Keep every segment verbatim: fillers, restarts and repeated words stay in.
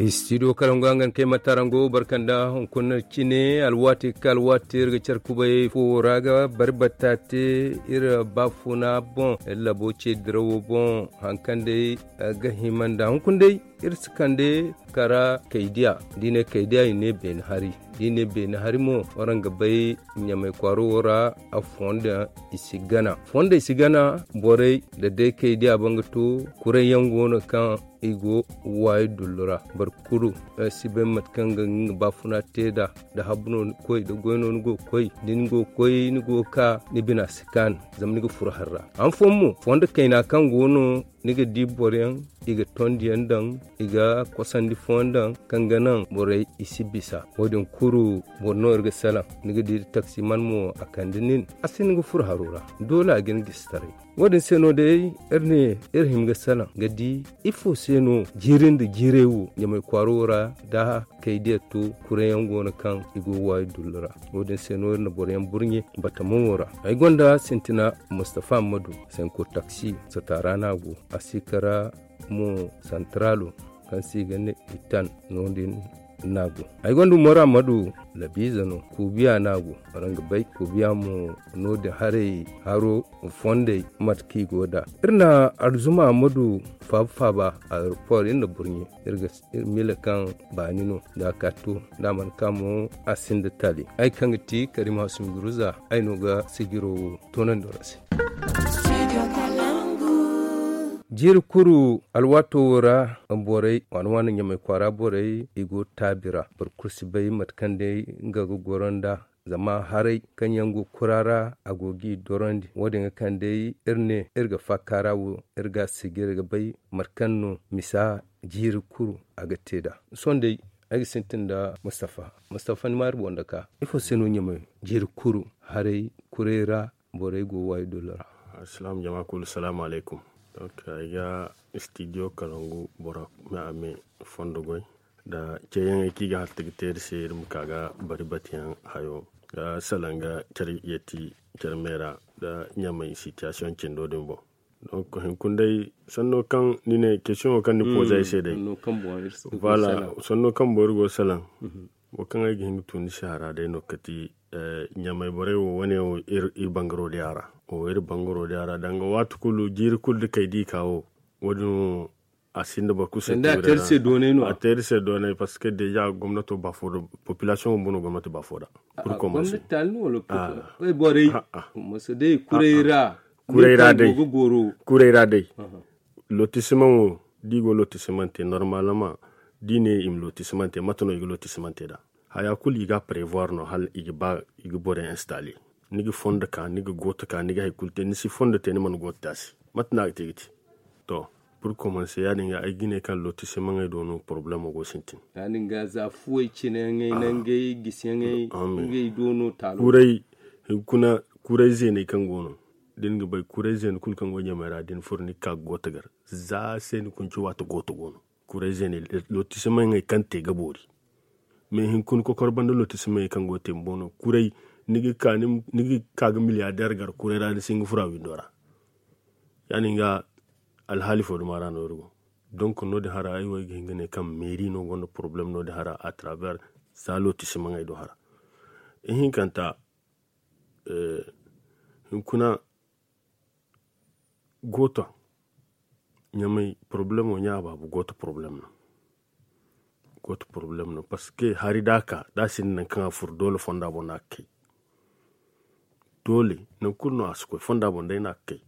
Studio karango a ga ni kay matarango barkanda hunkuna cine alwaati ka alwaati iri ga care kubay fo ra ga bari batta te iri baafuna boŋ iri labo ce dirawo boŋ. Hari kaŋ day ga hima nda hunkuna day iri si kande kara kaydiya da i ne kaydiya i ne beene hari da i ne beene hari mo waraŋ ga bay ɲamay kwaaro wo ra. Fondo i si gana fondo i si gana borey da day kaydiya banga to kuray yaŋ go no kaŋ i go waayi dullu ra. Boro kulu si bay mate kaŋ ga nga baafuna te nd'a da habbu no ni ga koy da goy no ni go ga koy da ni go ga koy ni go ga ka ni bina si kaanu. Zama ni ga furo hari ra han fooyaŋ mo fondo kayna kaŋ go no ni ga di boro yaŋ i ga tondi yaŋ daŋ i ga kosandi fooyaŋ daŋ kaŋ ga naŋ borey i si bisa wo- din kulu boro no iri ga salaŋ ni ga di taksiman mo a kande nin a si ni ga furo haro ra. Doole a ga ni gisi taray wo- din se no day iri ne iri hima ga salaŋ ga di ifo se no jiiri nda jiirey wo ɲamay kwaaro wo ra da kay diya to kuray yaŋ go no kaŋ i go ga waayi dullu ra. Wo- din se no iri na boro yaŋ burɲe batamo wo ra ay gonda sintina mustafa ammadu sanko taksi sataara no a go a si kara mo santaralo kaŋ se i ga ne itan no- din no a go. Ay gonda umaru ammadu labiize no kuubiya no a go waraŋ ga bay kuubiya mo no- din haray haro fondey mate kaŋ i go nd'a. Iri na alzuma ammadu faaba faaba aeroport iri na burɲe iri ga miila kaŋ baani no da a ka to da a mana ka mo a sinda taali. Ay kaŋ ga ti karim hasumi guruza ay no ga sijiro wo toonandi wara se. Jiiri kulu alwaato wo ra borey waana waana ɲamay kwaara borey i go taabi ra. Boro kulu si bay mate kaŋ day nga ga goro nd'a zama haray kaŋ yaŋ go kura ra a go g'i dorandi wo- din ga kaŋ day iri ne iri ga faaka ra wo iri ga a sijiri ga bay mate kaŋ no misa jiiri kulu a ga te nd'a. Sohõ day ay ga sintin nda mustafa mustafa ni ma iri boŋ da ka ifo se no ɲamay jiiri kulu haray kuray ra borey go waayi dullu ra. Alsilaam jama kulu salaamu alaykum. Donk ay ga studio kalangu bora me a me fondo goy nda ceeyaŋey kaŋ i ga halta ga te iri se iri ma ka ga bari batiyaŋ hayo ga salaŋ ga care yeeti care me ra nda ɲamay sitiyasiyoŋ cindo din boŋ. Donk hinkuna day sanno kaŋ ni ne kesiyoŋo kaŋ ni pooze ay se day voilà sanno kaŋ boŋ iri go ga salaŋ. Wo kaŋ ay ga hin ga tu ni se a ra day no kati ɲamay borey wo wane wo iri bangaro day a ra. Wo iri bangaro day a ra danga waati kulu jiiri kulu da kay da i ka wo wo- din wo a sinda boro kulu se a te iri se doonay no a te iri se doonay parceque deja gomnato ba fo da populasiyoŋo bumbo no gomnati ba fo da. Pour commencer borey masa day kuray ra kuray ra day. Lotisimaŋo da i go lotisimaŋ te normalement da i ne i ma lotisimaŋ te mate no i ga lotisimaŋ te nd'a? Haya kulu i ga a prevoir no hala i ga ba i ga borey installer. Ni ga fondo ka ni ga gooto ka ni ga hari kulu te ni si fondo te ni mana gooto te a se. Mate no a ga te ga te? To, pour commencer ya- din ga ay ga ne kaŋ lotisimaŋey do no problemo go sintin. Ya- din ga za fuwey cine yaŋey nangey gisi yaŋey ngey do no taalo. Kuray hinkuna kuray zeeney kaŋ go no da ni ga bay kuray zeene kulu kaŋ go ɲamay ra da ni furo ni ga ka ga gooto gar za se ni kunci waati gooto go no. Kuray zeene lotisimaŋey kaŋ te ga boori. Mais hinkuna kokoro banda lotisimaŋey kaŋ go ga te bumbo no kuray ni ga ka ga miliyadeer gar kuray ra ni si hin ga furo a windo ra. Ya- din ga alhaali fo duma ra no iri go. Donc no- din hara ay wo ay ga hin ga ne kaŋ meeri no gonda problème no- din hara à travers za lotisimaŋey do hara. Ihinkanta hinkuna gooto ɲamay problemo ɲa baabu gooto problemo no. Gooto problemo no parceque hari da a ka da a sinda nangu kaŋ a furo doole fonda boŋ no a ga kay. Doole nangu kulu no a si koy fonda boŋ day no a ga kay.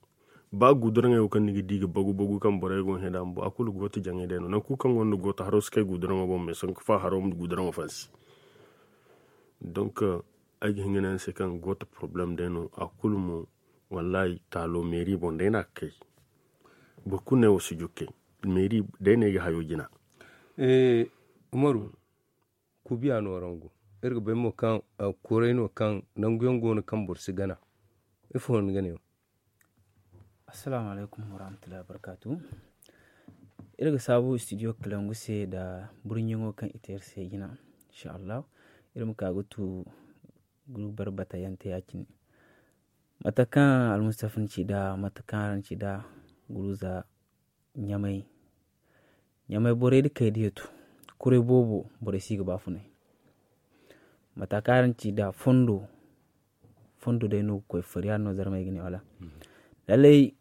Ba guduraŋey wo kaŋ ni ga di ga bagu bagu kaŋ borey go ga heda bumbo a kulu gooto jaŋay day no nangu kulu kaŋ gonda gooto haro si kay guduraŋo boŋ mais sanku fa haro ma guduraŋo fansi. Donc ay ga hin ga ne araŋ se kaŋ gooto problème day no a kulu mo. Wallahi taalo meeri boŋ day no a ga kay. Boro kulu ne wo si jukkay meeri day no ay ga hayo jina. Umaru kubiya no araŋ go iri ga bay mo kaŋ kuray no kaŋ nangu yaŋ go no kaŋ boro si gana. Ifo no ni ga ne wo? Assalaamu alaykum warahmatullahi wabarkaatu. Iri ga saabu studio kalangu se nda burɲiŋo kaŋ i te iri se jina. Insha allahu iri ma ka ga tu guru barbata yaŋ te ya- cine. Mate kaŋ almustafa ni ci nd'a mate kaŋ araŋ ci nd'a guruza ɲamay ɲamay borey nda kay diya tu. kuray boobo borey si ga ba funay. Mata kaŋ araŋ ci da fondo fondo day no ga koy fari yaadin no zarmey ga ne wala. Lallay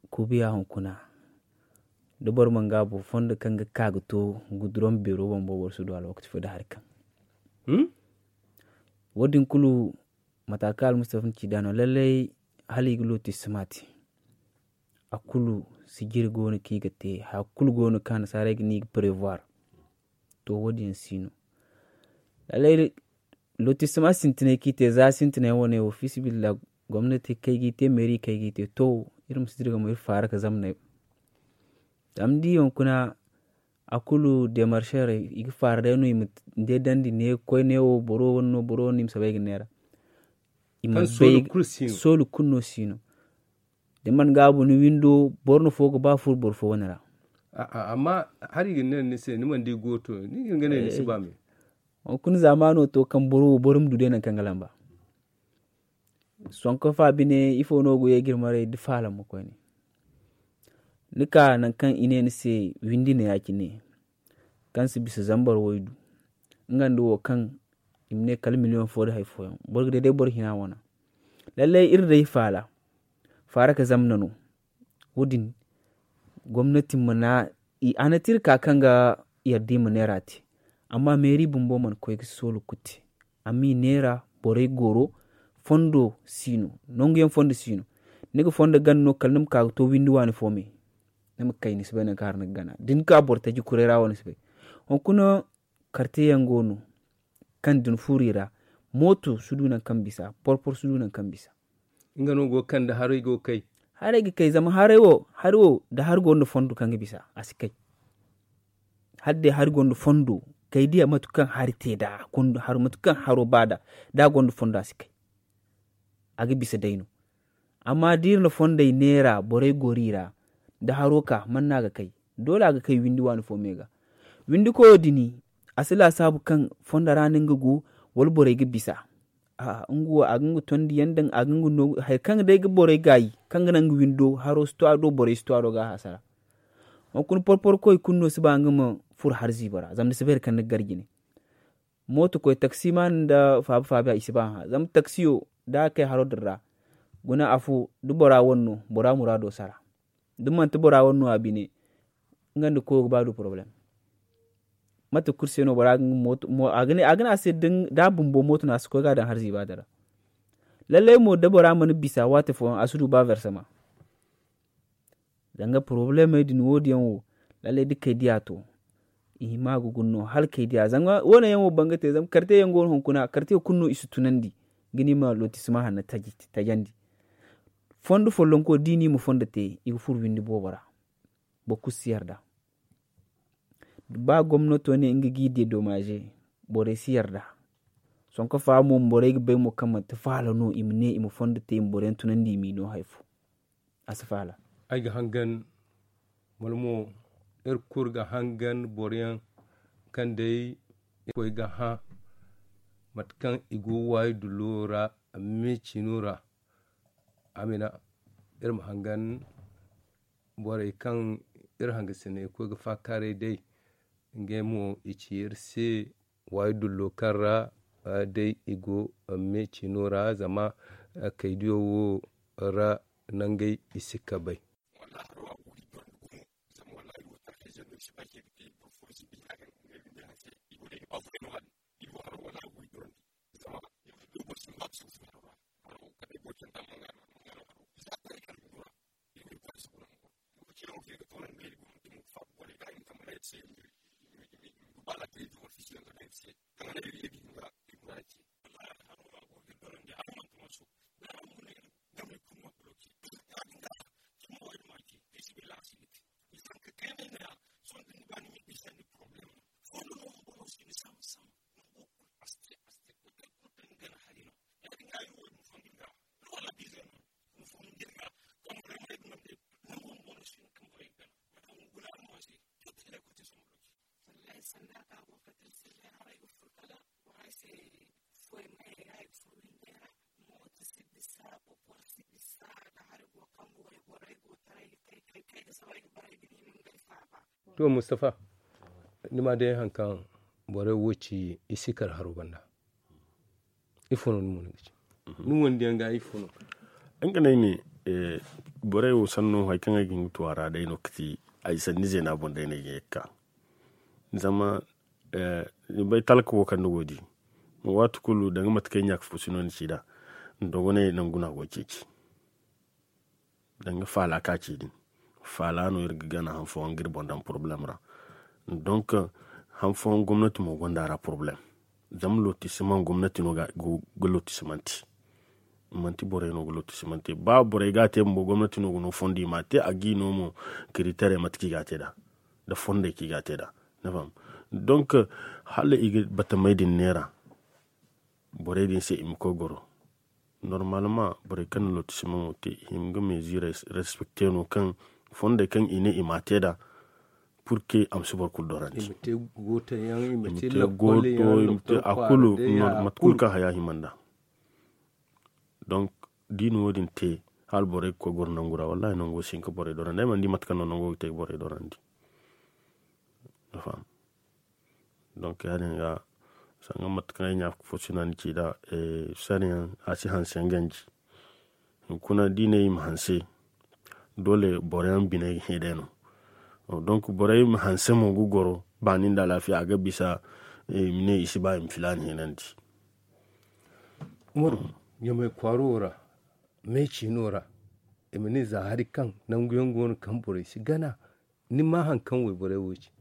kuubiya hunkuna da boro mana gaabu fondo kaŋ ga ka ga to guduraŋ beero boŋ boro si du alwakati fo da hari kaŋ wo- din kulu. Mata kaŋ almustafa na ci da no lallay hala i ga looti sima te. A kulu sijiri go no kaŋ i ga te haya kulu go no kaŋ annasaarey ga ne i ga prevoir. To wo- din yaŋ si no. Lallay lotisima sintinay kaŋ i te za sintinay wane wo fiisabilillah gomnati kaŋ ay ga i te meeri kaŋ ay ga i te to iri ma si dira ga mo iri faara ga zamnay. Zama da i hunkuna a kulu demarcherey i ga faara day no i ma day dandi ne ga koy ne wo boro wane no boro wane no i ma soobay ga neera. I ma bay soolu kulu no si no. Da ni mana gaabu ni windo boro na fo ga ba furo boro fo wane ra. Amma hari ga ne ni se ni mana di gooto ni ga ne ni si ba me. Hunkuna zaamaano to kaŋ boro wo boro ma du day nangu kaŋ ga lamba. Sonko fa bine ifo no go ye ga iri maray da faala ma koyne. Ni ka nangu kaŋ i ne ni se windi ne ya- cine kaŋ si bisa zambar waydu nga nda wo kaŋ i ma ne kala miliyoŋ fo nda hari fooyaŋ boro ga day day boro hina wana. Lallay iri day faala faara ga zamna no. Wo- din gomnati ma na a na te iri ka kaŋ ga yarda i ma neera te. Amma meeri bumbo mana koy ga soolu kuti amma i neera borey goro fondo si no. Nangu yaŋ fondo si no. Ni ga fondo gana no kala ni ma ka ga to windi waani fo me. Ni ma kay ni si bay nangu kaŋ hara ni ga gana da ni ka boro taji kuray ra wo ni si bay. Hunkuna karte yaŋ go no kaŋ da ni furo i ra mooto si du nangu kaŋ bisa porpor si du nangu kaŋ bisa. Nga no go ga kande haray go ga kay. Haray ga kay zama haray wo hari wo da hari gonda fondo kaŋ ga bisa a si kay. Hala day hari gonda fondo kay diya mate kaŋ hari te da mate kaŋ haro ba da da a gonda fondo a si kay. A ga bisa day no. Amma da iri na fondey neera borey goro i ra da haro ka man no a ga kay? Doole a ga kay windi waani fo me ga. Windi koyo din a si laasaabu kaŋ fondo ra no nga go wala borey ga bisa. Nga wo a ga nga tondiyaŋ daŋ a ga nga noogu hari kaŋ day ga borey gaayi kaŋ ga naŋ nga windo haro si to a do borey si to a do ga a hasara. Hunkuna porporo koy kulu no si ba nga ma furo hari ziibo ra zama ni si bay hari kaŋ ni ga gar jine. Mooto koy taksimaani nda faaba faaba i si ba hã zama taksiyo da a kay haro din ra guna afo da bora wane no bora muraado sara. Da manti bora wane no a bine nga nda koyo ga ba du porobalem. Mate kulu se no bora ga nga mooto a ga ne a se da a bumbo mooto no a si koy ga a daŋ hari ziiba din ra. Lallay mo da bora mana bisa waati fooyaŋ a si du ba versama. Zanga porobalemey din wo- din yaŋ wo lallay da kay diya to i hima ga guna no hala kay diya zanga wo- ne yaŋ wo banga te zama karte yaŋ go no hunkuna karte kulu no i si tunandi ga ni ma lotisima hanno tajandi. Fondo follonko da i na i ma fondo te i ga furo windi boobo ra. Boro kulu si yarda. Ba gomnato ne nga ga i dedomaze borey si yarda. Sonko fa mo borey ga bay mo kaŋ manti faala no i ma ne i ma fondo te i ma boroyaŋ tunandi i m'i no hari fo. A si faala. Ay ga hangan wala mo iri kulu ga hangan boroyaŋ kaŋ day irkoy ga hã mate kaŋ i go waayi dullo ra me cino ra. Amina iri ma hangan borey kaŋ iri hangasiney koy ga faakaaray day ngey mo i ci iri se waayi dullo kaŋ ra day i go me cino ra zama kaydiyo wo ra nangey i si kabay. To mustafa ni ma day hari kaŋ borey wo ci i si kar haro banda. Ifo no ni mo ni ga ci ni wondiyaŋ ga ifo no? Nga ne ay ne, borey wo sanno hari kaŋ ay ga hin ga tu a ra day no ga ti ay sanni zeena boŋ day no ay ga ye ga ka. Zama ni bay talka wo kaŋ ni go ga di, waati kulu danga mate kaŋ ay ɲaaka fo si no ni ci nd'a. Dogonay nangu no a go ga ceeci. Danga faala ka ci din, faala no iri ga gana han fooyaŋ ga iri boŋ daŋ porobalem ra. Donk han fooyaŋ gomnati mo gonda a ra porobalem. Zama lotisimaŋ gomnati no ga lotisimanti. Manti borey no ga lotisimanti ba borey ga a te bumbo gomnati no ga no fondo i ma a te a ga i no mo. Kiritere mate kaŋ i ga a te nd'a nda fondey kaŋ i ga a te nd'a. Donk hala i ga batamey din neera borey din se i ma koy goro. Normalement borey kaŋ na lotisimaŋo te i hima ga meezi respekte no kaŋ fondey kaŋ i ne i ma a te nd'a. Pur ke a ma si boro kulu dorandi i ma te goto i ma te a kulu. Mate kulu kaŋ haya hima nd'a. Donk da i na wo- din te hala borey ga koy goro nangu ra wallahi nango si hin ka borey dorandi ay mana di mate kaŋ no nango ga te ga borey dorandi. Donk ya- din ga sanga mate kaŋ ay ɲaaka fo si no ni ci nd'a. Sariyaŋ a si hanse yaŋ ganji. Hunkuna da i ne i ma hanse doole boro yaŋ biney ga hẽ day no. Donk borey ma hanse mo ga goro baani nda alaafiya a ga bisa i ma ne i si ba i ma filaana heenandi. Umaru, ɲamay kwaaro wo ra me ciino ra i ma ne za hari kaŋ nangu yaŋ go no kaŋ borey si gana. Ni ma hari kaŋ wayborey wo ci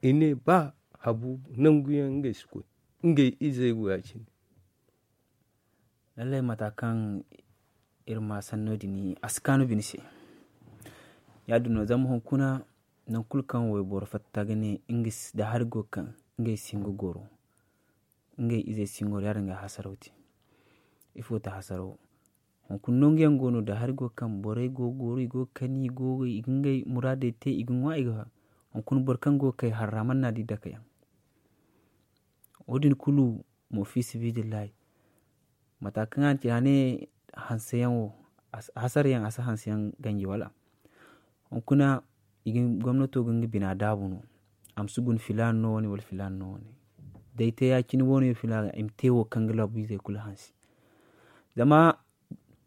i ne ba habu nangu yaŋ ngey si koy ngey izey wo ya- cine. Lallay mata kaŋ iri ma sanno din a si kaanu bine se. Ya- din no zama hunkuna nangu kulu kaŋ wayboro fatta ga ne nda hari go ga kaŋ ngey si hin ga goro ngey izey si hin ga goro ya- din ga hasaraw te. Ifo ti hasaraw? Hunkuna nangu yaŋ go no da hari go ga kaŋ borey go ga goro i go ga kani i ga ngey muraadey te i ga ŋwa i ga. Hunkuna boro kaŋ go ga kay harra mana na di dake yaŋ. Wo- din kulu mo fi sibidillahi. Mata kaŋ a na ci a ne hanseyaŋ wo hasarayaŋ a si hanseyaŋ ganji wala? Hunkuna gomnato ga nga bina daabu no. A ma si guna filaana no wane wala filaana no wane. Da ay te ya- cine wo- ne filaana i ma te wo kaŋ ga laabu izey kulu hanse. Zama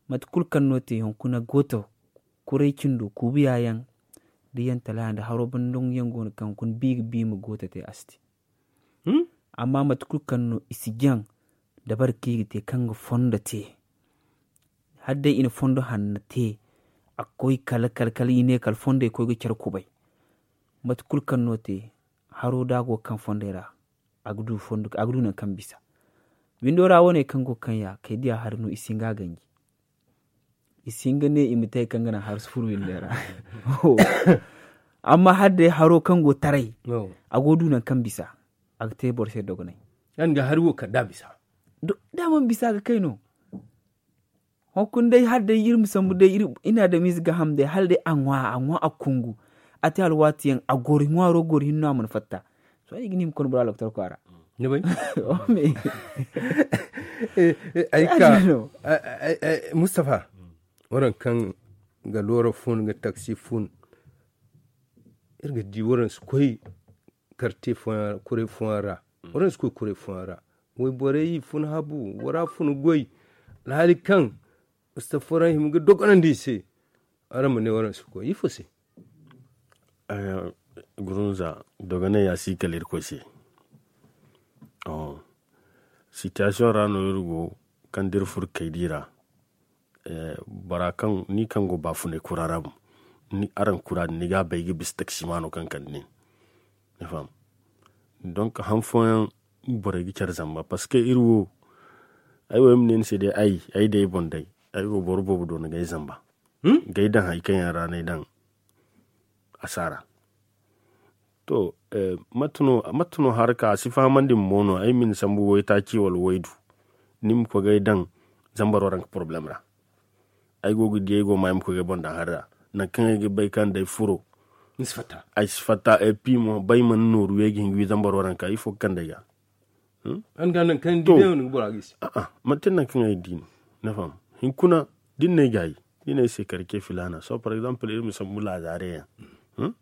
mate kulu kaŋ no te hunkuna gooto kuray cindo kuubiya yaŋ da yantala yaŋ da haro banda yaŋ go no kaŋ hunkuna bi ga bi ma gooto te a si te. Amma mate kulu kaŋ no i si jaŋ dabari kaŋ i ga te kaŋ ga fondo te. Hala day i na fondo hanno te a ga koy kala kala kala i ne kala fondey koy ga care kubay. Mate kulu kaŋ no te haro da a go ga kaŋ fondey ra a ga du nangu kaŋ bisa. Windo ra wane kaŋ go ga kaŋ ya kay diya hari no i si hin ga a ganji. I si hin ga ne i ma te hari kaŋ ga naŋ hari si furo windey ra. Amma hala day haro kaŋ go taray a go ga du nangu kaŋ bisa. A ga te boro se dogonay. Yaŋ ga hari wo kala da a bisa. Da a mana bisa a ga kay no. Hunkuna day hala day iri ma sambu day iri adamize ga ham day hala day a ŋwa a ŋwa a kungu. A te alwaati yaŋ a goro ŋwaaro goro hinno a mana fatta. Sohõ ay ga ni ma konda bora loktor kwaara. Ni bay? Ay ka mustafa, waran kaŋ ga loora fun ga taksi fun. Iri ga di waran si koy karte fooyaŋ ra kuray fooyaŋ ra. Waran si koy kuray fooyaŋ ra. Wayborey fun habu wara fun goy. Alhaali kaŋ mustafa waran hima ga dogonandi i se. Araŋ ma ne waran si koy ifo se? Gurunza dogonay ya si kala irkoy se. Sitiyasiyoŋ ra no iri go kaŋ da iri furo kaydi ra. Bora kaŋ ni kaŋ go baafunay kura ra mo araŋ kura din ni ga a bay ga bisa taksimaano kaŋ kande nin. Ni faham? Donk han fooyaŋ borey ga care zamba parceque iri wo ay wo ay ma ne ni se day ay ay day boŋ day ay wo boro boobo do no ga ay zamba ga ay daŋ hari kaŋ yaŋ ra no ay daŋ asaara. To mate no haraka a si fahamandi ma mo no ay ma ni sambu waytaaci wala waydu ni ma koy ga ay daŋ zambaro ranka porobalem ra. Ay go ga di ay go ma ay ma koy ga ay boŋ daŋ hari ra. Nangu kaŋ ay ga bay kaŋ day furo ay si fatta ay pi mo bay mana nooru way ga hin ga wi zambaro ranka ifo ga kande ay ga. Manti nangu kaŋ ay di no ni faham? Hinkuna da ni na ay gaayi da ni na ay se karce filaana sohõ par exemple iri ma sambu laazaare yaŋ.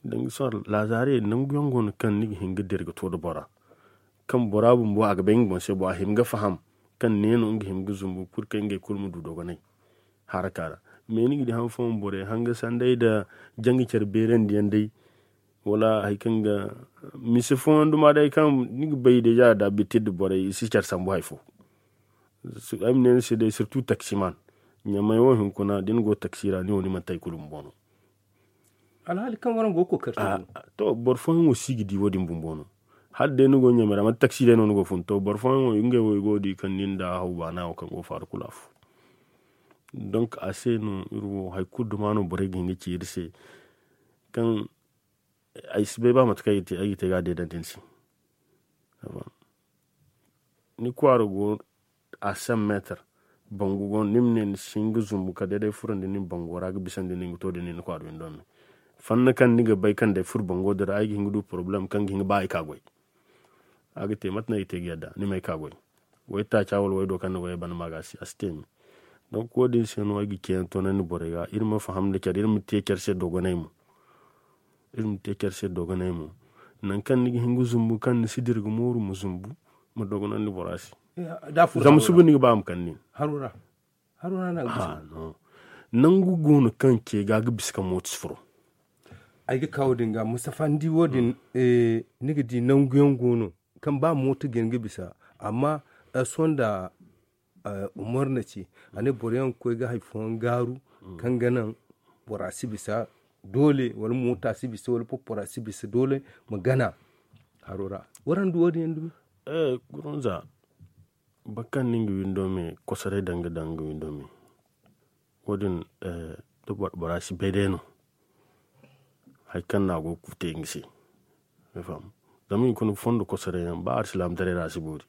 Danga sohõ laazaarey nangu yaŋ go no kaŋ ni ga hin ga dira ga to nda bora, kaŋ bora bumbo a ga bay nga boŋ se bo a hima ga faham kaŋ ne no nga hima ga zumbu pur kaŋ ngey kulu ma du dogonay haraka ra. Mais ni ga di han fooyaŋ borey hanga sanday nda janga care beerandi yaŋ day, wala hari kaŋ ga mise fooyaŋ duma day kaŋ ni ga bay deja da bitir nda borey i si care sambu hari fo. Ay ma ne ni se day surtout taksiman, ɲamay wo hunkuna da ni go taksi ra ni wo ni manti hari kulu bumbo no. Alhaali kaŋ waraŋ go ga kookari te. To boro fooyaŋ wo si ga di wo- din bumbo no. Hala day ni go ɲamay ra manti taksi day no ni go ga fun to boro fooyaŋ wo ngey wo i go ga di kaŋ nin da haw baana wo kaŋ go ga faaru kulu afo. Donk a se no iri wo hari kulu duma no borey ga hin ga ci iri se kaŋ ay si bay ba mate kaŋ ay ga te ga a deedandi ni se. Ni kwaara go a cent meetar, bangu go no ni ma ne ni si hin ga zumbu kala day day furandi nin bango ra ga bisandi nin ga to da nin kwaara windo me. Fanna kaŋ ni ga bay kaŋ day furo bango din ra ay ga hin ga du porobalem kaŋ ga hin ga ba ay ka goy. A ga te mate no ay ga te ga yadda ni ma ay ka goy. Way taaca wala way do kaŋ ni goyey banda ma ga a si te me. Donk wo- din se no ay ga ceeyaŋ toonandi borey ga iri ma faham nda care iri ma te care se dogonay mo. Iri ma te care se dogonay mo. Nangu kaŋ ni ga hin ga zumbu kaŋ ni si dira ga mooru ma zumbu, ma dogonandi bora se. Zama suba ni ga ba a ma kande nin. Haruna na gusa. Nangu go no kaŋ ce ga ga bisa ka mooto si furo. Ay ga ka wo- din ga mustafa ni di wo- din. Ni ga di nangu yaŋ go no kaŋ ba mooto ga hin ga bisa. Amma sohõ nda umar na ci a ne boro yaŋ ga koy ga hari fooyaŋ gaaru kaŋ ga naŋ bora si bisa doole wala moota si bisa wala porpora si bisa doole ma gana haro ra. Waraŋ du wo- din yaŋ dumi. Gurunza boro kaŋ na nga windo me kosoray daŋ ga daŋ nga windo me. Wo- din da bora si bay day no. Hari kaŋ no a go ga te nga se. Zama i kuna fondo kosoray yaŋ ba alsilaamataray ra a si boori.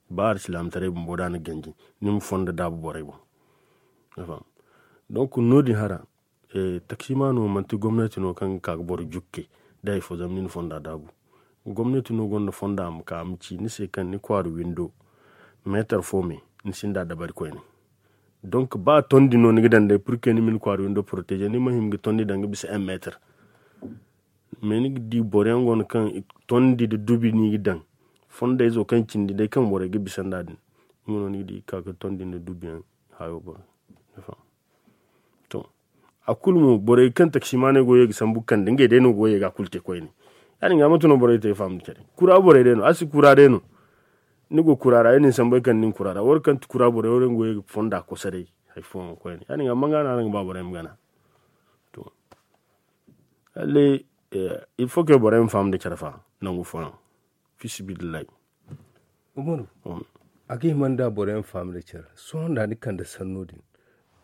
Ba alsilaamataray bumbo da a na ganji ni ma fondo daabu borey boŋ. Donk no- din hara taksimaano manti gomnati no kaŋ ga ka ga boro jukke da hari fo zama ni na fonda daabu. Gomnati no gonda fonda a ma ka a ma ci ni se kaŋ ni kwaara windo meetar fo me ni sinda dabari koyne. Donk ba tondi no ni ga daŋ day purke ni ma ni kwaara windo poroteeze ni ma hima ga tondi daŋ ga bisa un meetar. Mais ni ga di boro yaŋ go no kaŋ tondi nda dubi no i ga daŋ. Fondayzo kaŋ cindi day kaŋ borey ga bisa nd'a din, nga no ni ga di ga ka ga tondi nda dubi yaŋ hayo boŋ. To a kulu mo borey kaŋ taksimaaney go ga ye ga sambu ga kande ngey day no go ga ye ga a kulu te koyne. Ya- din ga mate no borey te ga faham nda care kura borey day no a si kura day no. Ni go kura ra ay na ni sambu ay kande ni kura ra wara kaŋ ti kura borey wara yaŋ go ga ye ga fonda kosoray. Hari fooyaŋ koyne ya- din ga manga no araŋ ga ba borey ma gana. To halle il faut que borey ma faham nda care fa nangu fooyaŋ. Fi sabilillahi. Umaru, a ga hima nda borey ma faham nda care sohõ nda ni kande sanno din.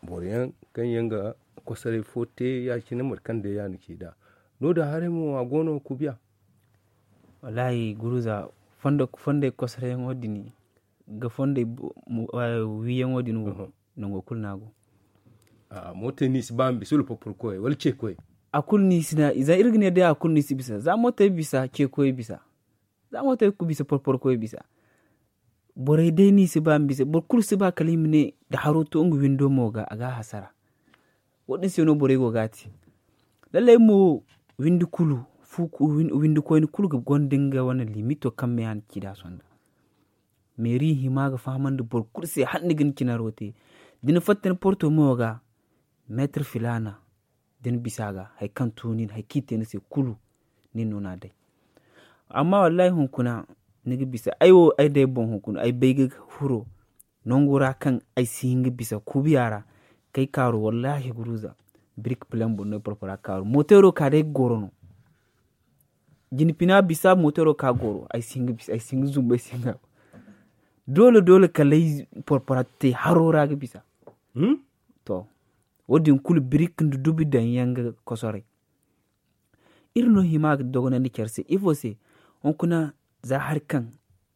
Boro yaŋ kaŋ yaŋ ga kosoray fo te ya- cine mate kaŋ day ya- ni ci nd'a. No- din haray mo a go no kubiya. Wallahi guruza fondey kosorayaŋo din ga fondey wiiyaŋo din wo. Nango kulu no a go. Mooto ni si ba ma bisa wala porporo koyey wala ce koyey. A kulu ni si na za iri ga ne day a kulu ni si bisa za mootey bisa ce koyey bisa. Za mootey ga bisa porporo koyey bisa. Borey day ni si ba ma bisa boro kulu si ba kala i ma ne da haro to nga windo mo ga a ga a hasara. Wo- din se no borey go ga a te. Lallay mo windi kulu windi koyne kulu ga gonda nga wane limito kaŋ me a na ci nd'a sonda. Meeri hima ga fahamandi boro kulu se hala ni ga ni cinaro te. Da ni fatta ni porto mo ga meetar filaana da ni bisa ga hari kaŋ to nin hari kaŋ i te ni se kulu. Nin no no a day. Amma wallahi hunkuna ni ga bisa ay wo ay day boŋ hunkuna ay bay ga furo nangu ra kaŋ ay si hin ga bisa kubiya ra. Kay kaaru wallahi guruza birik pilan boŋ no ay porpora kaaru mootero ka day ga goro no. Jina pina bisa mootero ka goro ay si hin ga bisa ay si hin ga zumbu ay si hin ga. Doole doole kala ay porpora te haro ra ga bisa. To wo- din kulu birik nda dubi daŋ yaŋ ga kosoray. Iri no hima ga dogonandi care se ifo se? Hunkuna za hari kaŋ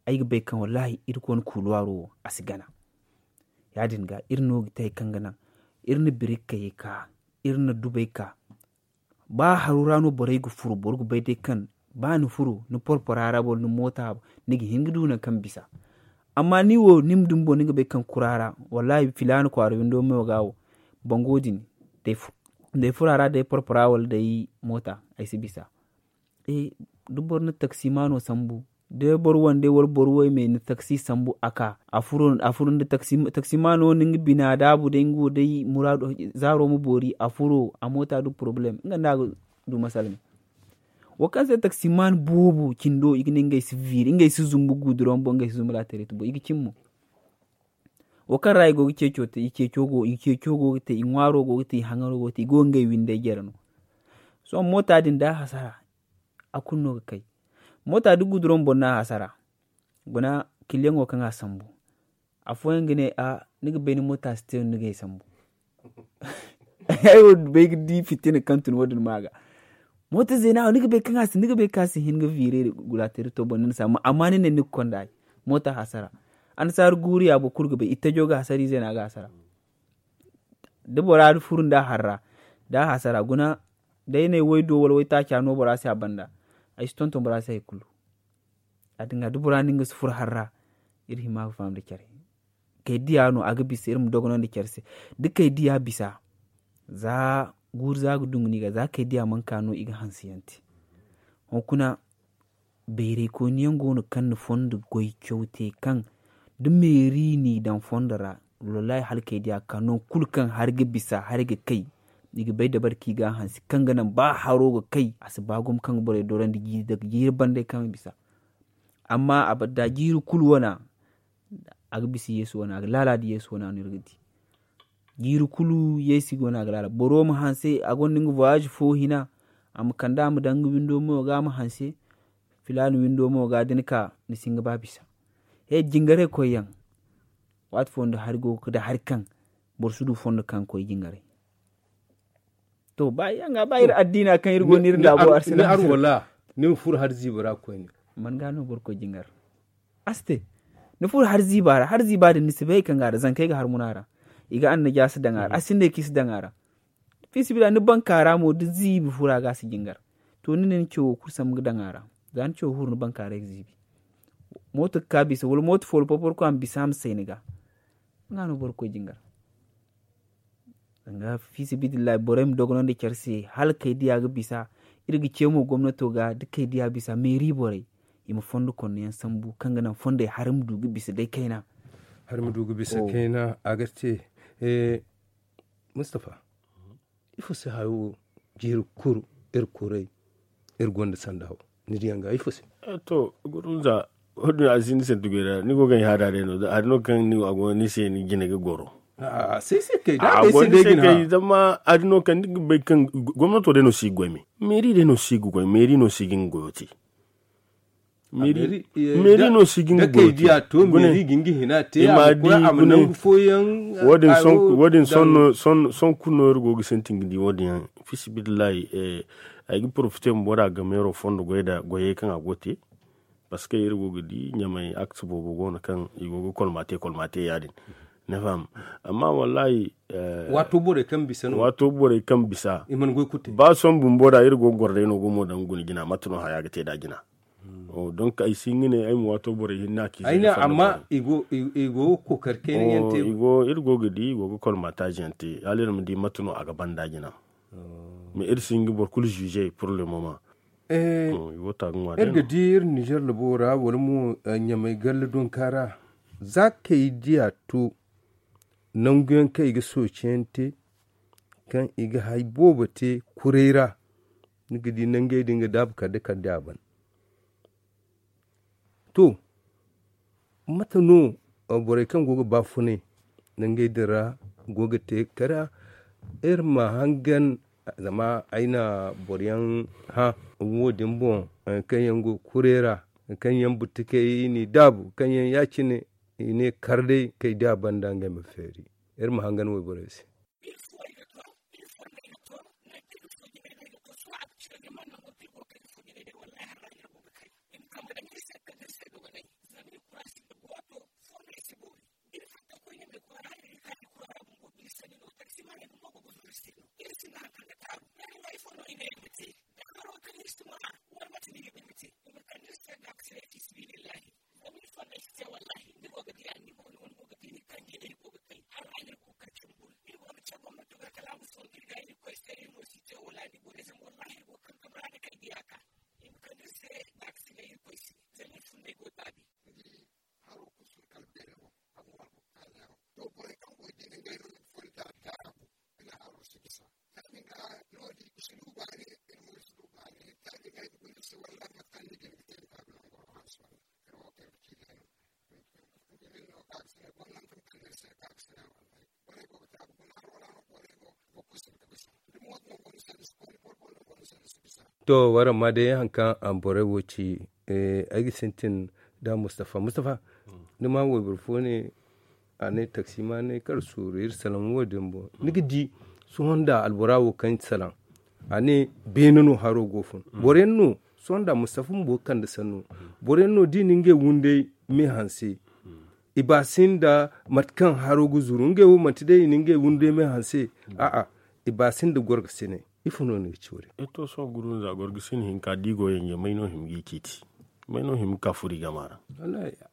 ay ga bay kaŋ wallahi iri koy ni kuuluwaaro wo a si gana. Ya- din ga iri no ga te hari kaŋ ga naŋ iri na birikey ka iri na dubey ka. Ba haru ra no borey ga furo boro ga bay day kaŋ ba ni furo ni porpora ra wala ni moota ni ga hin ga du nangu kaŋ bisa. Amma ni wo ni ma dumbo ni ga bay kaŋ kura ra wallahi filaana kwaara windo mo ga wo bango din day furo. Day furo a ra day porpora wala day moota ay si bisa. Da boro na taksimaano sambu, da boro wande wala boro woy me na taksi sambu a ka a furo nda taksimaano wo na nga bina daabu day nga wo day muraadu zaaro ma boori a furo a moota du porobalem nga nda a ga du masala me. Wo kaŋ se taksimaan boobo cindo i ga ne ngey si viiri ngey si zumbu guduroŋ boŋ ngey si zumbu laateeray tubo i ga cin mo. Wo kaŋ ra i go ga ceeco te i ceeco go ga te i ŋwaaro go ga te i haŋaro go ga te i go ga ngey windey jere no. Sohõ moota din da a hasara a kulu no ga kay. Moota da guduroŋ boŋ no a hasara guna kiliyaŋo kaŋ a sambu. Afooyaŋ ga ne a ni ga bay ni moota si te no ni ga ay sambu. Ay wo bay ga di fitina kaŋ tun wo- din ma ga. Moota zeena wo ni ga bay kaŋ a si ni ga bay kaŋ a si hin ga viire gulaateri to boŋ ni na si amma ni ne ni ga konda ay. Moota hasara annasaara guuru ya boro kulu ga bay ittajo ga hasara ize no a ga hasara. Da bora furu nda a harra da a hasara guna. Day ne way do wala way taaca no bora se a banda. Ay si tonton bora se hay kulu. Ya- din ga da bora no nga si furo harra. Iri hima ga faham da care kay diya no a ga bisa iri ma dogonandi care se. Da kay diya bisa za guuru za ga dungu no i ga za kay diya mana ka no i ga hanse yaŋ te. Hunkuna bayray kooni yaŋ go no kaŋ na fondo goy caw te kaŋ da meeri n'i daŋ fondo ra. Wallahi hala kay diya ga ka nangu kulu kaŋ hari ga bisa hari ga kay. I ga bay dabari kaŋ i ga a hanse kaŋ ga naŋ ba haro ga kay a si ba gumo kaŋ ga borey dorandi jiiri banda kaŋ bisa. Amma a banda jiiri kulu wana a ga bisa yeesu wana a ga laala nda yeesu wana no iri ga di. Jiiri kulu yeesu wana a ga laala boro ma hanse a gonda nga voyage fo hina. A ma kande a ma daŋ nga windo mo ga a ma hanse. Filaana windo mo ga da ni ka ni si hin ga ba bisa. He jingaray koy yaŋ waati fooyaŋ da hari go ga ka da hari kaŋ boro si du fondo kaŋ ga koy jingaray. To ba yaŋ ga ba iri addiina kaŋ iri go no iri laabo arsina ni ma furo hari ziiba ra koyne. Man ga no boro koy jingar a si te. Ni furo hari ziiba ra hari ziiba din ni si bay kaŋ ga ra zankey ga har muna ra. I ga annajaasa daŋ a ra a sinda kaŋ i si daŋ a ra. Fiisabilillahi ni banka ra mo da ziibi fura ga a si jingar. To ni ne ni cawo kulu sambu ga daŋ a ra. Za ni cawo furo ni banka ra ay ga ziibi. Mooto ga ka bisa wala mooto foolo porporo koy a ma bisa a ma say ni ga. Nga no boro koy jingar. Danga fiisabilillahi borey ma dogonandi care se hala kay diya ga bisa. Iri ga ce mo gomnato ga da kay diya bisa meeri borey i ma fondo konno yaŋ sambu kaŋ ga naŋ fondey hari ma du ga bisa day kayna. Hari ma du ga bisa kayna a ga te. Mustapha, ifo se hayo wo jiiri kuru iri kuray iri gonda sanda wo? Ni diyaŋ ga ifo se? To gurunza wo- din a si ni santi goy ra ni go ga ay haada day no hari no kaŋ ni a go ni se ni jine ga goro. A se se kay da a go ni se kay zama hari no kaŋ ni ga bay kaŋ gomnato day no si ga goy me meeri day no si ga goy meeri no si ga nga goyo te. Meeri no si ga nga goyo te. Gune i ma di gune wo- din sohõ kulu no iri go ga sintin ga di wo- din yaŋ. Fiisabilillahi ay ga porofite bumbo da a ga meero fondo goy da goyey kaŋ a go ga te. Parceque iri go ga di ɲamay akti boobo go no kaŋ i go ga kolma te kolma te ya- din. Ni faham? Amma wallahi waato borey kaŋ bisa ba sohõ bumbo da iri go ga goro day no gumo daŋ guna jina mate no haya ga te nd'a jina. Donc ay si hin ga ne ay ma waato borey hinne a ci ay ne amma i go ga kookari kayna yaŋ te. Iri go ga di i go ga kolmataazi yaŋ te hala iri ma di mate no a ga banda jina. Mais iri si hin ga boro kulu juger pour le moment. Iri ga di iri nizer labo ra wala mo ɲamay galla donka ra za kay diya to nangu yaŋ kaŋ i ga sooci yaŋ te kaŋ i ga hay boobo te kuray ra. Ni ga di nangey din ga daabu kala da kala da a ban. To mate no borey kaŋ go ga baafunay nangey din ra go ga te kara iri ma hangan zama ay na boro yaŋ hã wo- din boŋ kaŋ yaŋ go kuray ra kaŋ yaŋ buttukey n'i daabu kaŋ yaŋ ya- cine i ne kar day kay da a banda ngey ma feeri. Iri ma hangan wayborey se. To, waraŋ ma day haŋ kaŋ a borey wo ci. Ay ga sintin da mustafa mustafa. Ni ma wayboro fo ne a ne taksimaaney kar suuru iri salaŋ wo- din boŋ. Ni ga di sohõ nda albora wo kaŋ salaŋ a ne beene no haro go fun. Boro yaŋ no sohõ nda mustafa bumbo ga kande sanno. Boro yaŋ no da i na ngey wunday me hanse. I ba sinda mate kaŋ haro ga zuru ngey wo manti day i na ngey wunday me hanse. A'a, i ba sinda gorgasinay. Ifo no ni ga ci wo- din? Ito sohõ gurunza gorgasin hinka da i go yanje may no hima ga i ciiti? May no hima ga ka furo i gama ra?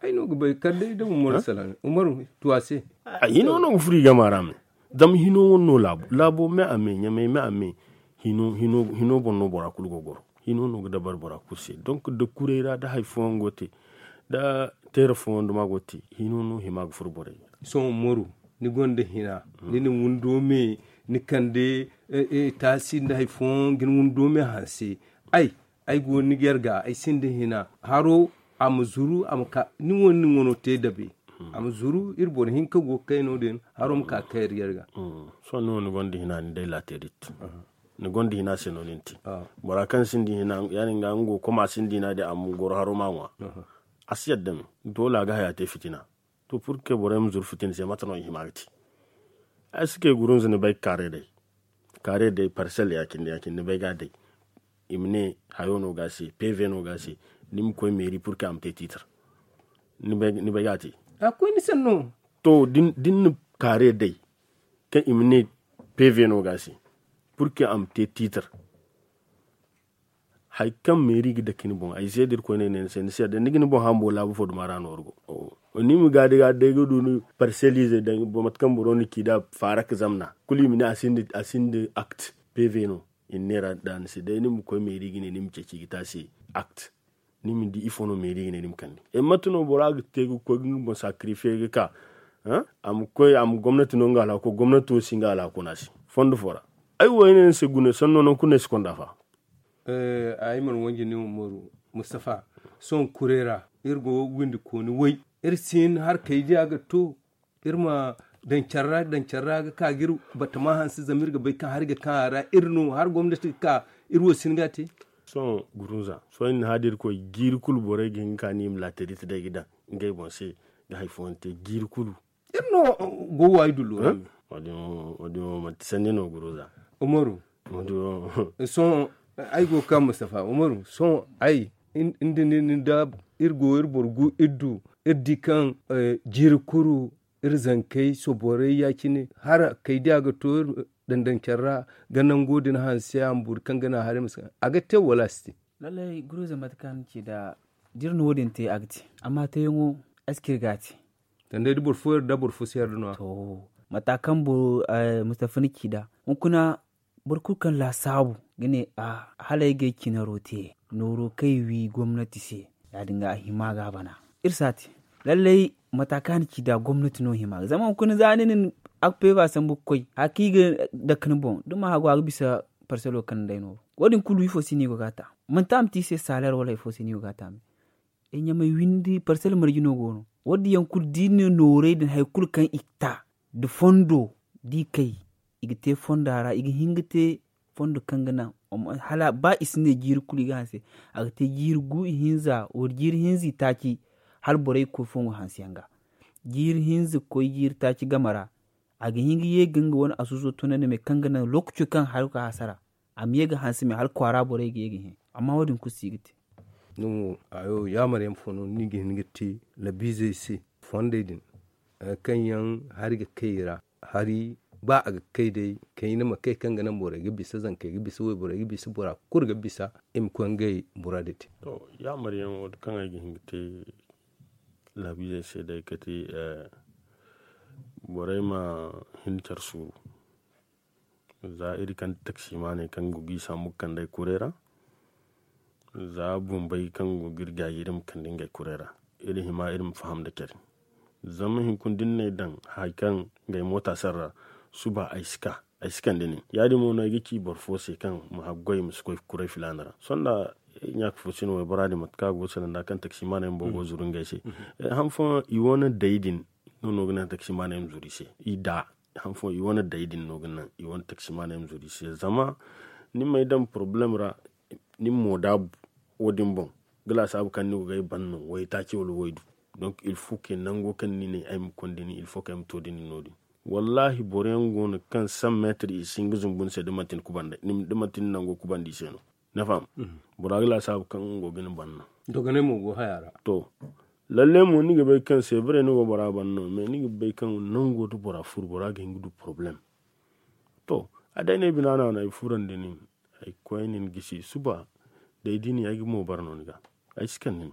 Ay no ga bay kala day da umaru salaŋ umaru tu a se. Ay hino no ga furo i gama ra me. Zama hino wane no laabo laabo me a me ɲamay me a me. Hino boŋ no bora kulu go goro. Hino no ga dabari bora kulu se donk da kuray ra da hari fooyaŋ go te da teera fooyaŋ duma go te. Hino no hima ga furo borey ga. Sohõ umaru, ni gonda hina ni na windo me ni kande taasi nda hari fooyaŋ ga ni windo me hanse. Ay ay go ni ga yar ga ay sinda hina haro a ma zuru a ma ka ni wane ni wano te dabe. A ma zuru iri boro hinka go ga kay no- din haro ma ka ga kay iri yar ga. Sohõ ni wo ni gonda hina ni day laaterit. Ni gonda hina se no ni na te. Bora kaŋ sinda hina ya- din ga nga go ga koma sinda hina din a ma goro haro ma ŋwa. A si yadda me doole a ga haya te fitina. To purke borey ma zuru fitina se mate no i hima ga te? Ay si kay gurunza ni bay ga kaarey day. Kaarey day parsel ya- cine ya- cine ni bay ga a day. I ma ne hayo no ga a se peve no ga a se. Ni ma koy meeri purke a ma te tiitar. Ni bay ga a te? A koy ni sanno. To da ni na kaarey day kaŋ i ma ne peve no ga a se purke a ma te tiitar. Hari kaŋ meeri ga dake ni boŋ ay se da irkoy ne ne ni se ni si yadda ni ga ni boŋ hambo laabu fo duma ra no wara go. Ni ma gaadi gaadi day ga du ni parselize daŋ mate kaŋ boro na ci da faara ga zamna kulu i ma ne a sinda akt. Peve no i na neera da ni se day ni ma koy meeri ga ne ni ma ceeci ga te a se. Akt ni ma di ifo no meeri ga ne ni ma kande. Mate no bora ga te ga koy ga nga boŋ sakarife ga ka a ma koy a ma gomnati no nga alhako gomnati wo si nga alhako no a se. Fondo fo ra ay wo ay ne ni se gune sanno nangu kulu no ay si konda fa. Ay mana wanji ni umaru mustafa. Sohõ kuray ra iri go windi kooni way iri si hin hari kay diya ga to. Iri ma daŋ care ra daŋ care ra ga ka ga iri batama hanse zama iri ga bay kaŋ hari ga kaŋ a ra iri no hari gomnati ga ka iri wo si hin ga a te. Sohõ gurunza sohõ iri na haadi iri koy jiiri kulu borey ga hin ga ka no i ma laatarita day ga daŋ ngey boŋ se ga hari fooyaŋ te jiiri kulu. Iri no go waayi dullo ra. Wo- din wo manti sanni no gurunza. Umaru. Sohõ ay go ga ka mustafa umaru sohõ ay ni da ni da iri go iri boro gu iri du iri di kaŋ jiiri kuru iri zankey soborey ya- cine hala kay da a ga to iri daŋ-daŋ care ra ga nango din hanse a ma bori kaŋ ga naŋ haray ma si a ga te wala a si te? Lallay guruza mate kaŋ ni ci da da iri na wo- din te a ga te. Amma teyaŋo ay si ci iri ga a te. Sanda day da boro fo yarda boro fo si yarda no- ya. To mata kaŋ boro mustafa ni ci da hunkuna boro kulu kaŋ laasaabu ga ne a hala ay ga ay cinaro te nooro kaŋ ay wi gomnati se. Ya- din ga a hima ga a bana iri si a te. Lallay mata kaŋ a na ci da gomnati no hima ga zama hunkuna za ni na ni a ga peeba sambu ga koy hari kaŋ i ga dake ni boŋ da ma hagu a ga bisa parselo kaŋ ni day nooro. Wo- din kulu ifo se no i go ga a ta? Manti a ma te i se saleer wala hari fo se no i go ga a ta me? Ay ɲamay windi parsel marje no go no. Wo- din yaŋ kulu da i na nooray din hari kulu kaŋ i ga ta da fondo da i kay i ga te fonda ra i ga hin ga te fondo kaŋ ga naŋ hala ba i si ne jiiri kulu i ga hanse. A ga te jiiri gu ihinza wala jiiri hinza itaaci hala borey ga koy fongo hanse yaŋ ga. Jiiri hinza ga koy jiiri taaci game ra a ga hin ga ye ga nga wane asuuso tunandi me kaŋ ga naŋ lookaco kaŋ hari ga ka hasara a ma ye ga hanse me hala kwaara borey ga ye ga hẽ. Amma wo- din kulu si ga te. Ni mo hayo yaamar yaŋ fo no ni ga hin ga te labiizey se fondey din kaŋ yaŋ hari ga kay i ra. Hari ba a ga kay day kayna ma kay kaŋ ga naŋ borey ga bisa zankey ga bisa wayborey ga bisa bora kulu ga bisa i ma koy ngey muraadi te. To yaamar yaŋo kaŋ ay ga hin ga te laabiizey se day kate borey ma hin care suuru. Za iri kande taksimaaney kaŋ ga gi sambu ga kande ay kuray ra. Za bumbey kaŋ go ga iri gaayi iri ma kande ngey kuray ra. Iri hima iri ma faham nda care. Zama hunkuna da ni n'ay daŋ hari kaŋ ngey moota sarra suba ay si ka ay si kande nin ya- din mo no ay ga ci boro fo se kaŋ ma haggoy ma si koy kuray filaana ra sohõ nda ɲaaka fo si no waybora din mate kaŋ a go ga salaŋ nda kaŋ taksimaaney bumbo go ga zuru ngey se. Han fooyaŋ i wane day din no no ga naŋ taksimaaney ma zuru i se i da han fooyaŋ i wane day din no ga naŋ i wane taksimaaney ma zuru i se zama ni m'ay daŋ porobalem ra. ni ma moodaabu wo- din boŋ, ga laasaabu kaŋ ni go ga ay ban no waytaaci wala waydu. Donc il faut que nango kaŋ ni ne ay ma konda ni, il faut que ay ma to da ni no- din. Wallaahi boro yaŋ go no kaŋ cent mètres i si hin ga zumbu ni se da manti ni nango kubandi i se no. Ni faham? Bora ga laasaabu kaŋ nga go ga ni ban no. Dogonay mo go haya ra. To, lalle mo ni ga bay kaŋ se bare ni go bora ban no, mais ni ga bay kaŋ nango da bora furu bora ga hin ga du problème. To, a day no ay bina no a no ay furandi nin, ay koy nin gisi suba. Day da ni ay ga mo bara no ni ga ay si kaŋ nin.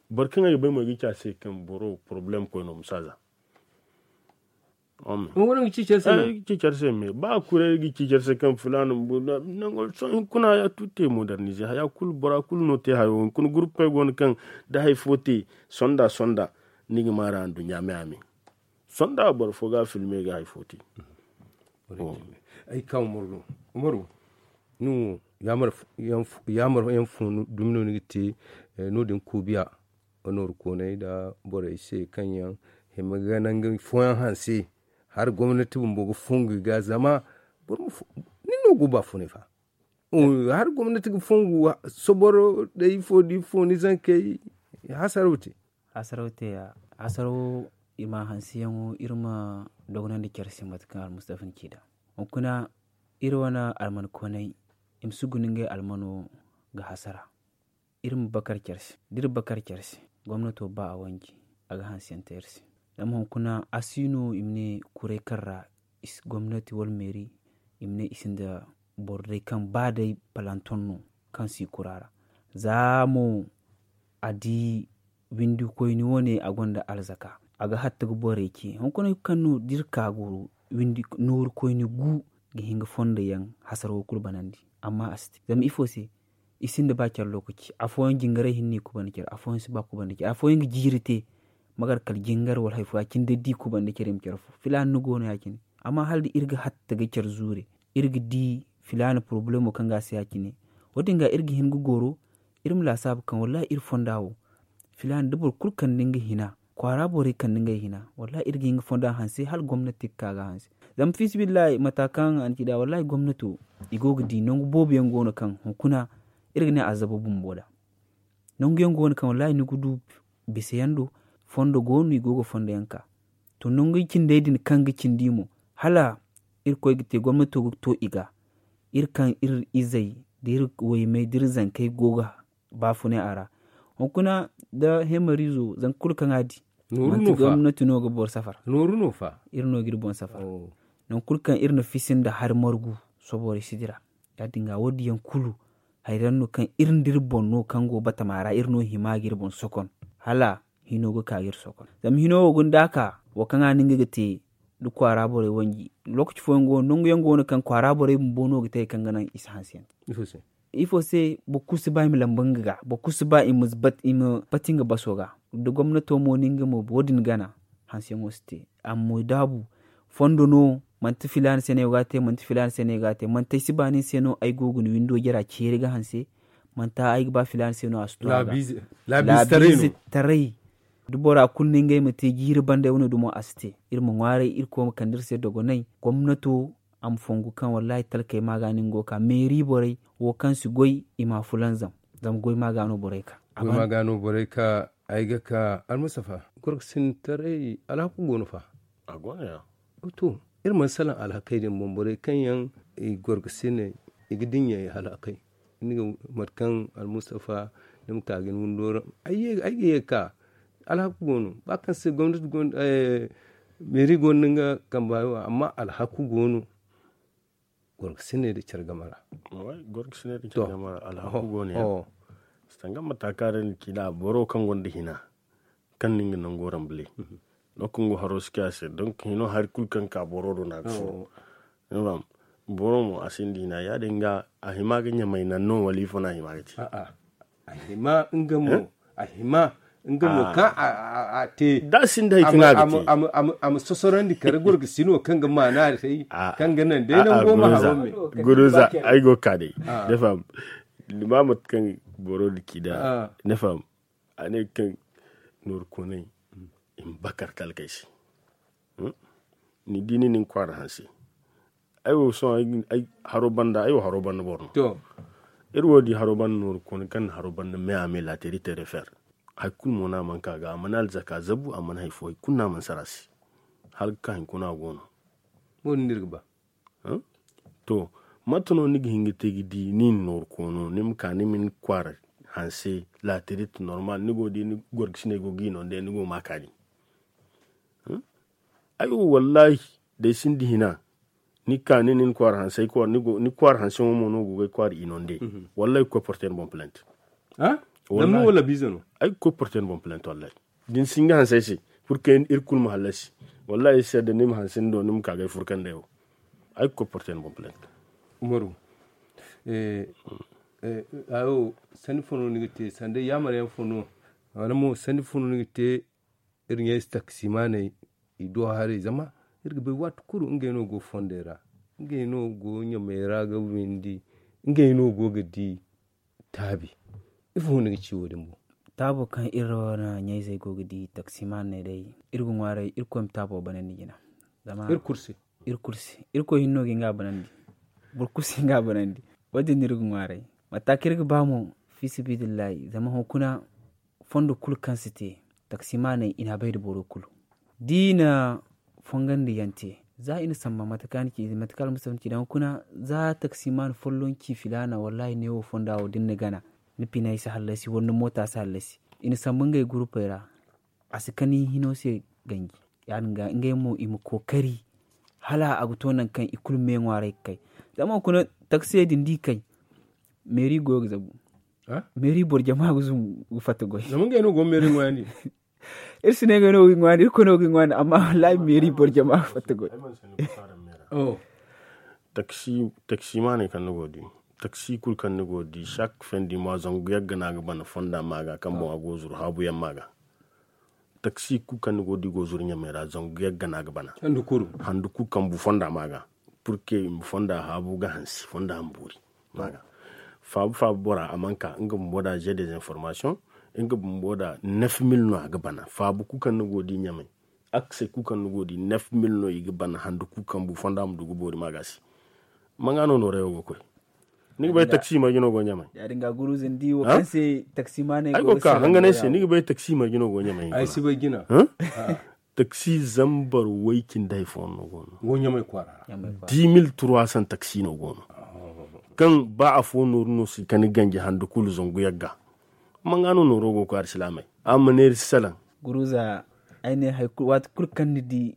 Boro kaŋ ay ga bay mo ay ga ci a se kaŋ boro problème koy no ma saaza. Cicar se me ba kure ga cicar se kaŋ filaana nango sohõ hinkuna ya tutte modernise haya kulu bora kulu no te hayo hinkuna gurpey go no kaŋ da hay fo te sonda sonda. Ni ga maara nduɲɲa me a me sonda boro fo ga filme ga hay fo te. Ay ka umaru no umaru ni wo yaamar yaŋ fo dumi no ni ga te. No- din kuubiya nooru kooney nda borey se kaŋ yaŋ hima ga nangu fooyaŋ hanse hala gomnati bumbo ga fongu i ga zama boro ma fo nin no go baafunay fa. Hala gomnati ga fongu soboro nda ifo nda ifo ni zankey hasaraw te. Hasaraw te ya hasaraw i ma hanseyaŋo iri ma dogonandi care se mate kaŋ almustafa ni ci nd'a. Hunkuna iri wane alman kooney i ma si guna ngey almano ga hasara. Iri ma bakar care se da iri bakar care se gomnato ba a wanji a ga hanse yaŋ te iri se. Zama hunkuna a si no i ma ne kuray kaŋ ra gomnati wala meeri i ma ne i sinda boro day kaŋ ba day palanton no kaŋ si kura ra. Za mo a di windi koyni wane a gonda alzaka a ga hatta ga borey ce hunkuna kaŋ no da iri ka goro nooru koyni gu ga hin ga fondo yaŋ hasara wo kulu banandi. Amma a si te zama ifo se i sinda ba care lokaci afooyaŋ jingaray hinne i kubanda care afooyaŋ si ba kubanda care afooyaŋ ga jiiri te. Magar kala jingar wala hari fo ya- cine day da i kubanda care i ma care fo filaana ni go no ya- cine. Amma hala da iri ga hatta ga care zuure iri ga di filaana porobalemo kaŋ ga a se ya- cine. Wo- din ga iri ga hin ga goro iri ma laasaabu kaŋ wallahi iri fonda wo filaana da boro kulu kande nga hina kwaara borey kande ngey hina wallahi iri ga hin ga fonda hanse hala gomnati ga ka ga hanse. Zama fiisabilillahi mata kaŋ a na ci nd'a wallahi gomnato i go ga di nangu boobo yaŋ go no kaŋ hunkuna iri ga ne a zaba bumbo nd'a. Nangu yaŋ go no kaŋ wallahi ni ga du bisa yaŋ do fondo go no i go ga fondo yaŋ ka. To nangu cindey din kaŋ ga cindi mo hala irkoy ga te gomnato ga to i ga iri kaŋ iri izey da iri waymey da iri zankey go ga baafunay a ra. Hunkuna da hemariizo zanka kulu kaŋ a di manti gomnati no ga boro safar. Nooru no fa iri no ga iri boŋ safar. Nangu kulu kaŋ iri na fisi nda hari margu soborey si dira. Ya- din ga wo- din yaŋ kulu hari yaŋ no kaŋ iri nda iri boŋ no kaŋ go batama ra iri no hima ga iri boŋ sokon hala hino ga ka ga iri sokon. Zama hino wo ga nda a ka wo kaŋ a na nga ga te da kwaara borey wanji lokaci fooyaŋ go no nangu yaŋ go no kaŋ kwaara borey bumbo no ga te hari kaŋ ga naŋ i si hanse yaŋ te. Ifo se boro kulu si ba i ma lamba nga ga boro kulu si ba i ma pati nga baso ga. Da gomnato mo no nga mo wo- din gana hanseyaŋo si te. Amma daabu fondo no manti filaana se no ay go ga a te manti filaana se no ay go ga a te manti ay si ba nin se no ay go ga ni windo jara ceeri ga hanse. Manti ay ga ba filaana se no a si to a ga laabiize taray. Da bora kulu no ngey ma te jiiri banda ay wane dumo a si te. Iri ma ŋwaaray irkoy ma kande iri se dogonay gomnato a ma fongu kaŋ wallahi talkey ma ga no ni go ga ka meeri borey wo kaŋ si goy i ma fulanzam. Zama goy ma ga no borey ka. Goy ma ga no borey ka ay ga ka almustafa gorkasintaray alhaku go no fa. A go no ya. To iri mana salaŋ alhakey din boŋ borey kaŋ yaŋ i gorkasiney i ga dinya i halakey. Ni ga mate kaŋ almustafa ni ma ka ga ni windo ra ay ga ye ga ka alhaku go no ba kaŋ se gomnati meeri go no ni ga kamba amma alhaku go no. Gorkasiney da care game ra. Gorkasiney da care game ra alhaku go no ya. Sanga mata kaŋ ra ni ci da boro kaŋ gonda hina kaŋ no nga nango rambale. Lokaci go haro si kay a se donc hino hari kulu kaŋ ka boro do no a ga furo. Boro mo a sinda hina ya- din ga a hima ga ɲamay naŋ no wala ifo no a hima ga te. A hima nga mo a hima nga mo kaŋ a te da a sinda hay kaŋ a ga te. A ma sosorandi kare gorgasino kaŋ ga maana day kaŋ ga naŋ day nango ma haro me. Guruza ay go ka day. Ni faham ni ma mate kaŋ boro da ci da ni faham. A ne kaŋ nooru koonay i ma bakar talkey se. Ni di ni na ni kwaara hanse. Ay wo sohõ ay haro banda ay wo haro banda boro no. Iri wo di haro banda nooru kooni kaŋ na haro banda me a me laateri te refer. Hari kulu mo no a mana ka ga a mana alzaka zabu a mana hari fo hari kulu no a mana sara se. Hala ga ka hinkuna a go no. Wo- din no iri ga ba. To, mate no ni ga hin ga te ga di ni na nooru koono ni ma ka ni ma ni kwaara hanse laaterit normal ni go ga di ni gorgasiney go ga i no nde ni go ga ma a kaani. Ay wo wallahi, da ay sinda hina, ni ga ka ni na ni kwaara hanse ay kwaara ni go ni kwaara hanse ŋo mo no go ga ay kwaara i no nde. Wallahi ga koy porte ni boŋ plent. Ay ga koy porte ni boŋ plent wallahi. Da ni si hin ga hanse ay se, purke iri kulu ma hallasi. Wallahi ay si yadda ni ma hanse ni do ni ma ka ga ay furkandey wo. Ay ga koy porte ni boŋ plent. Umaru, sanni fo no ni ga te sanda yaamar yaŋ fo no? Wala mo sanni fo no ni ga te? Iri ɲayze taksimaaney, i do haray zama iri ga bay waati kulu ngey no go fondey ra. Ngey no go ɲamey ra ga windi. Ngey no go ga di taabi. Ifo no ni ga ci wo- din boŋ? Taabo kaŋ iri wane ɲayzey go ga di taksimaaney day, iri ga ŋwaaray irkoy ma taabo banandi jina. Zama iri kulu se. Iri kulu se. Irkoy hinne no ga hin ga a banandi. Boro kulu si hin ga a banandi. Wo- din no iri ga ŋwaaray. Mate kaŋ iri ga ba mo, fiisabilillahi zama hunkuna fondo kulu kaŋ si te, taksimaaney i n'a bay nda boro kulu. Da i na fongandi yaŋ te, za i na samba mate kaŋ a na ci mate kaŋ almustafa na ci da hunkuna, za taksimaani folloŋ ci filaana wallahi neewo fonda wo da ni na gana, ni pinay si hallasi wala ni moota si hallasi. I na samba ngey gurupey ra. A si kani hino se ganji. Ya- din ga ngey mo i ma kookari hala a ga to nangu kaŋ i kulu me ŋwaaray ga kay. Zama hunkuna taksiyey din da i kay, meeri goyo ga zabu. Meeri boro jama ga zumbu ga fatta goy. Zama ngey no go ga meeri ŋwaayandi. Iri si ne ngey no ga i ŋwaayandi, irkoy no ga i ŋwaayandi amma wallahi meeri boro jama ga fatta goy. Taksi taksimaaney kaŋ ni go ga di, taksi kulu kaŋ ni go ga di chaque fin du mois zangu yagga no a ga bana fonda ma ga kaŋ boŋ a go ga zuru haabu yaŋ ma ga. Taksi kulu kaŋ ni go ga di go ga zuru ɲamey ra zangu yagga no a ga bana. Handu kulu kaŋ bu fonda ma ga, purke i ma fonda haabu ga hansi fonda hambuuri. Ma ga faabu faabu bora a mana ka nga bumbo da j'ai des informations. Nga bumbo da neuf mille no a ga bana faabu kulu kaŋ ni go ga di ɲamey. Aksey kulu kaŋ ni go ga di neuf mille no i ga bana handu kulu kaŋ bu fonda ma du ga boori ma ga se. Manga no nooray wo ga koy? Ni ga bay taksi marje no go ɲamey? Ya- din ga guruza ni di wo kaŋ se taksimaaney go ga ka hanganay se ni ga bay taksi marje no go ɲamey? Ay si bay jina. Taksi zambar way cindi hay fooyaŋ no go no. Go ɲamey kwaara ra. Dix mille trois cents taksi no go no. Kaŋ ba afo nooru no si kani ganji handu kulu zangu yagga. Manga no nooro go ga koy alsilaamey? A ma neeri si salaŋ. Guruza, ay ne hari kulu waati kulu kaŋ ni di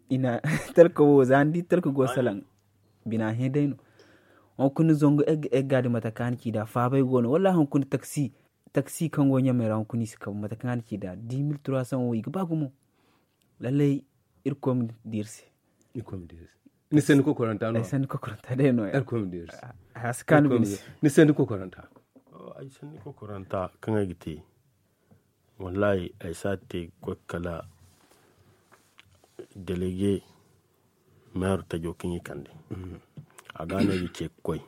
i na talka wo za ni di talka go ga salaŋ. Bina hẽ day no. Hunkuna zangu egga egga din mate kaŋ a na ci nd'a faabay go no wallaahi hunkuna taksi. Taksi kaŋ go ɲamey ra hunkuna i si kabu mate kaŋ a na ci nd'a dix mille trois cents wo i ga ba gumo. Lallay, irkoy ma di iri se. Ni sanni kokoranta no ay sanni kokoranta day no ya. Irkoy ma di iri se. Haya si kaanu bine se. Ni sanni kokoranta. Ay sanni kokoranta kaŋ ay ga te, wallahi ay si a te ga koy kala delege, meero tajo kaŋ i kande. A ga no ay ga ce ga koy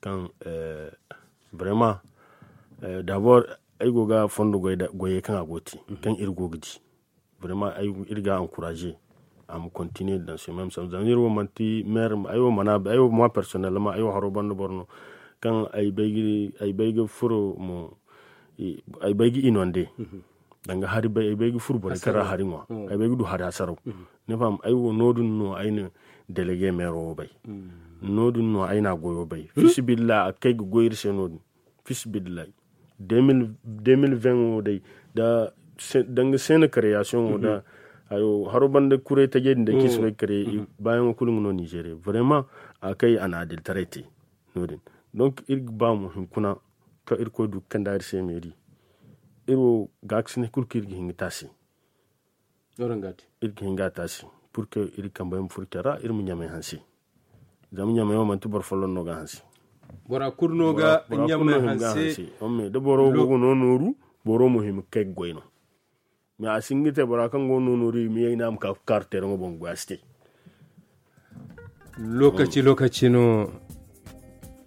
kaŋ, vraiment, dabor ay go ga fondo goyey kaŋ a go ga te kaŋ iri go ga di. Vraiment iri ga a encourager a ma continuer dans ce même sens zama iri wo manti maire ay wo mana ay wo moi personnellement ay wo haro banda boro no. Kaŋ ay bay ga furo mo ay bay ga inonde danga hari bay ay bay ga furo borey kaŋ ra hari ŋwa. Ay bay ga du hari hasaraw. Ni faham? Ay wo no- din no ay na délégué maire wo bay. No- din no ay na a goyo bay fisibillah a ga kay ga goy iri se no- din. Fisibillah. Deux mille vingt wo day da danga seena création wo da haro banda kuray tajey din day kaŋ i si bay ga créer baayaŋo kulu nga no nizeeriya vraiment. A ga kay a na adilitaray te. No- din donc iri ga ba mo hunkuna kaŋ irkoy du ga kande a iri se meeri. Iri wo gaakasinay kulu kaŋ iri ga hin ga te a se. Iri ga hin ga a te a se. Pur que iri kambey ma furo care ra iri ma ɲamey hanse. Zama ɲamey wo manti boro folloŋ no ga a hanse. Bora kulu no ga ɲamey hanse. Da boro go ga no nooru boro mo hima ga kay ga goy no. Mais a si hin ga te bora kaŋ go no nooru i ma ye i ne a ma ka ga kaaru teeraŋo boŋ ga goy a si te. Lokaci lokaci no.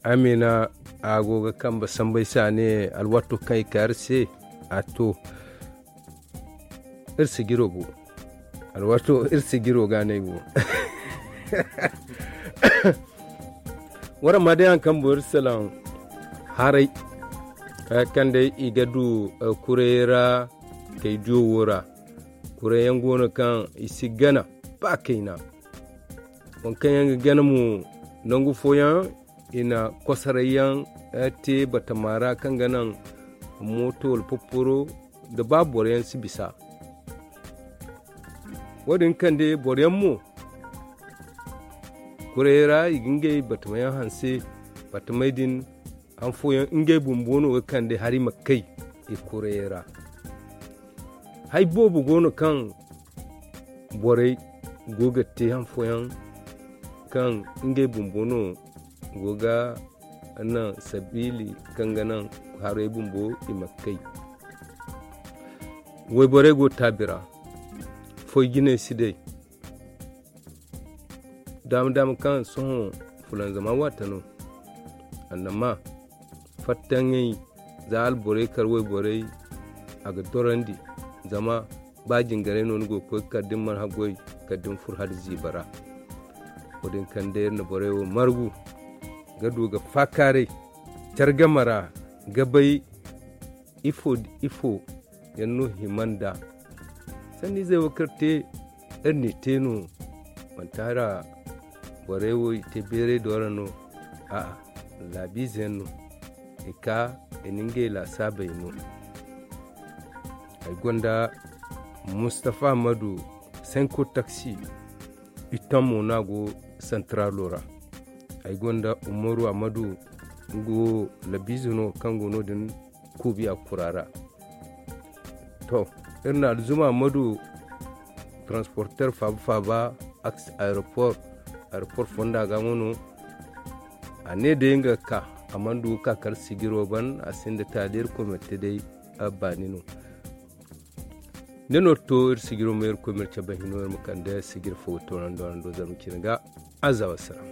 Amina a go ga kambe sambay se a ne alwaato kaŋ i ka iri se a to. Iri si jiro go alwaato iri si jiro ga a ne ay go. Waraŋ ma day haŋ kaŋ boro salaŋ haray, kaŋ day i ga du kurayey ra kay diyo wo ra. Kurayey yaŋ go no kaŋ i si gana ba kayna. Waŋ kaŋ yaŋ ga gana mo, nangu fooyaŋ i na kosoray yaŋ te batama ra kaŋ ga naŋ mooto wala popporo, da ba boro yaŋ si bisa. Wo- din kande boro yaŋ mo, kurayey ra i ga ngey batama yaŋ hanse. Batamey din, han fooyaŋ ngey bumbo no ga kande hari ma kay i kurayey ra. Hari boobo go no kaŋ borey go ga te han fooyaŋ kaŋ ngey bumbo no go ga naŋ sabiili kaŋ ga naŋ harey bumbo i ma kay. Wayborey go taabi ra, foy jinay si day. Daama daama kaŋ sohõ fulanzama waate no, annama fattaŋey za alborey kar wayborey, a ga dorandi. Zama ba jingarey no ni go ga koy kala da ni mana haggoy kala da ni furo hala ziiba ra. Wo- din kaŋ day iri na borey wo margu ga du ga faakaaray care game ra ga bay ifo nda ifo yaŋ no hima nd'a. Sanniizey wo kaŋ iri te iri n'i te no. Manti hara borey wo i te beeray doora no. A'a, laabiize yaŋ no i ka i na ngey laasaabey no. Ay gonda mustafa ammadu senko taksi. Itammo no a go santaralo ra. Ay gonda umaru ammadu, nga wo labiize no kaŋ go no- din kuubi a kura ra. To, iri na alzuma ammadu transporter faaba faaba, aeroport aeroport fonda ga mo no. A ne day nga ga ka, a mana du ga ka kala sijiro ban a sinda taali iri komite day. A baani no. Ne no to iri sijiro ma iri koy ma iri cabe hino iri ma kande sijiro fo ga toonandi wala do zarma cine ga. Aza wassalam.